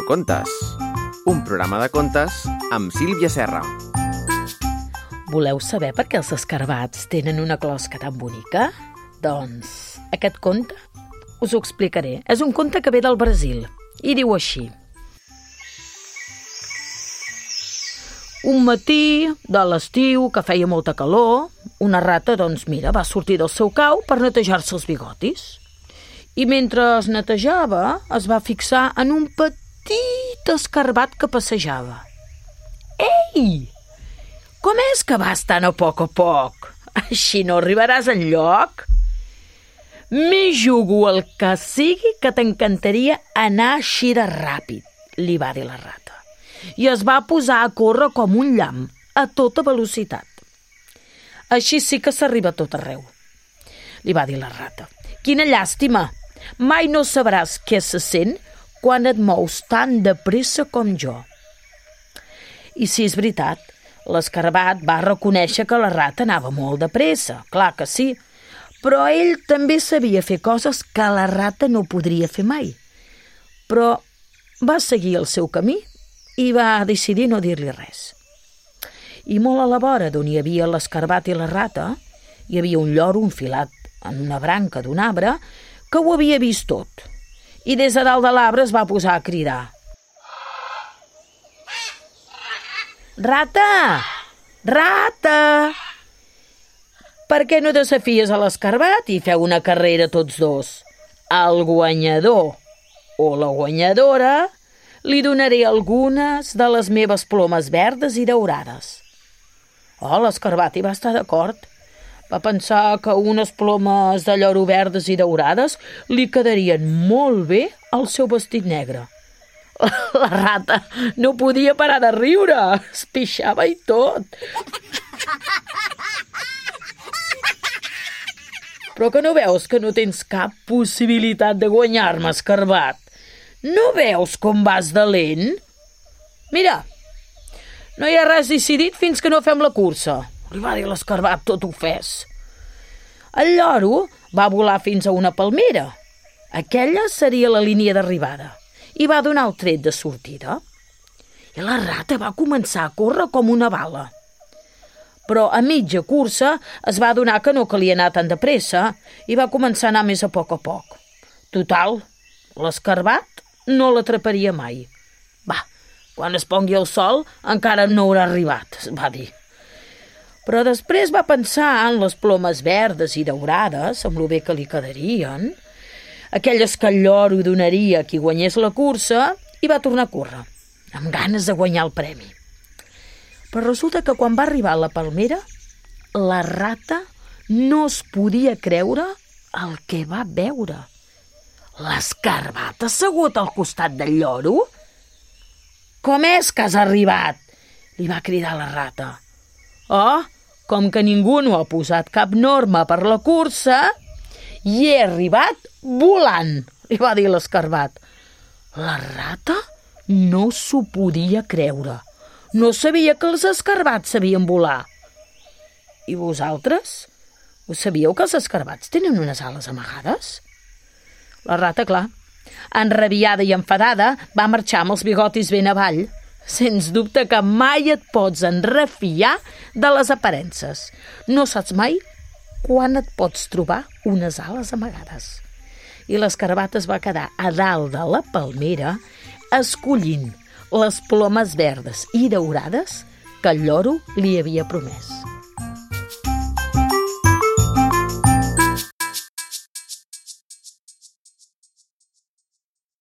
Contes, un programa de contes amb Sílvia Serra. Voleu saber per què els escarbats tenen una closca tan bonica? Doncs aquest conte us ho explicaré. És un conte que ve del Brasil i diu així. Un matí de l'estiu, que feia molta calor, una rata, va sortir del seu cau per netejar-se els bigotis. I mentre es netejava, es va fixar en un petit escarbat que passejava. Ei! Com és que vas tan a poc? Així no arribaràs enlloc? M'hi jugo el que sigui que t'encantaria anar així de ràpid, li va dir la rata. I es va posar a córrer com un llamp, a tota velocitat. Així sí que s'arriba a tot arreu, li va dir la rata. Quina llàstima! Mai no sabràs què se sent quan et mous tan de pressa com jo. I sí, és veritat, l'escarbat va reconèixer que la rata anava molt de pressa, clar que sí, però ell també sabia fer coses que la rata no podria fer mai. Però va seguir el seu camí i va decidir no dir-li res. I molt a la vora d'on hi havia l'escarbat i la rata, hi havia un lloro enfilat en una branca d'un arbre que ho havia vist tot. I des de dalt de l'arbre es va posar a cridar. Rata! Rata! Per què no desafies a l'escarbat i feu una carrera tots dos? Al guanyador o la guanyadora li donaré algunes de les meves plomes verdes i daurades. L'escarbat hi va estar d'acord. Va pensar que unes plomes de lloro verdes i daurades li quedarien molt bé al seu vestit negre. La rata no podia parar de riure, es pixava i tot. Però que no veus que no tens cap possibilitat de guanyar-me, escarbat? No veus com vas de lent? Mira, no hi ha res decidit fins que no fem la cursa, li va dir l'escarbat tot ofès. El lloro va volar fins a una palmera. Aquella seria la línia d'arribada i va donar el tret de sortida. I la rata va començar a córrer com una bala. Però a mitja cursa es va adonar que no calia anar tan de pressa i va començar a anar més a poc. Total, l'escarbat no l'atraparia mai. Quan es pongui el sol encara no haurà arribat, va dir. Però després va pensar en les plomes verdes i daurades, amb lo bé que li quedarien, aquelles que el lloro donaria a qui guanyés la cursa, i va tornar a córrer, amb ganes de guanyar el premi. Però resulta que quan va arribar a la palmera, la rata no es podia creure el que va veure. L'escarbat assegut al costat del lloro? Com és que has arribat? Li va cridar la rata. Com que ningú no ha posat cap norma per la cursa, hi he arribat volant, li va dir l'escarbat. La rata no s'ho podia creure. No sabia que els escarbats sabien volar. I vosaltres? Ho sabíeu que els escarbats tenen unes ales amagades? La rata, clar, enrabiada i enfadada, va marxar amb els bigotis ben avall. Sens dubte que mai et pots enrefiar de les aparences. No saps mai quan et pots trobar unes ales amagades. I l'escarbat es va quedar a dalt de la palmera escollint les plomes verdes i daurades que el lloro li havia promès.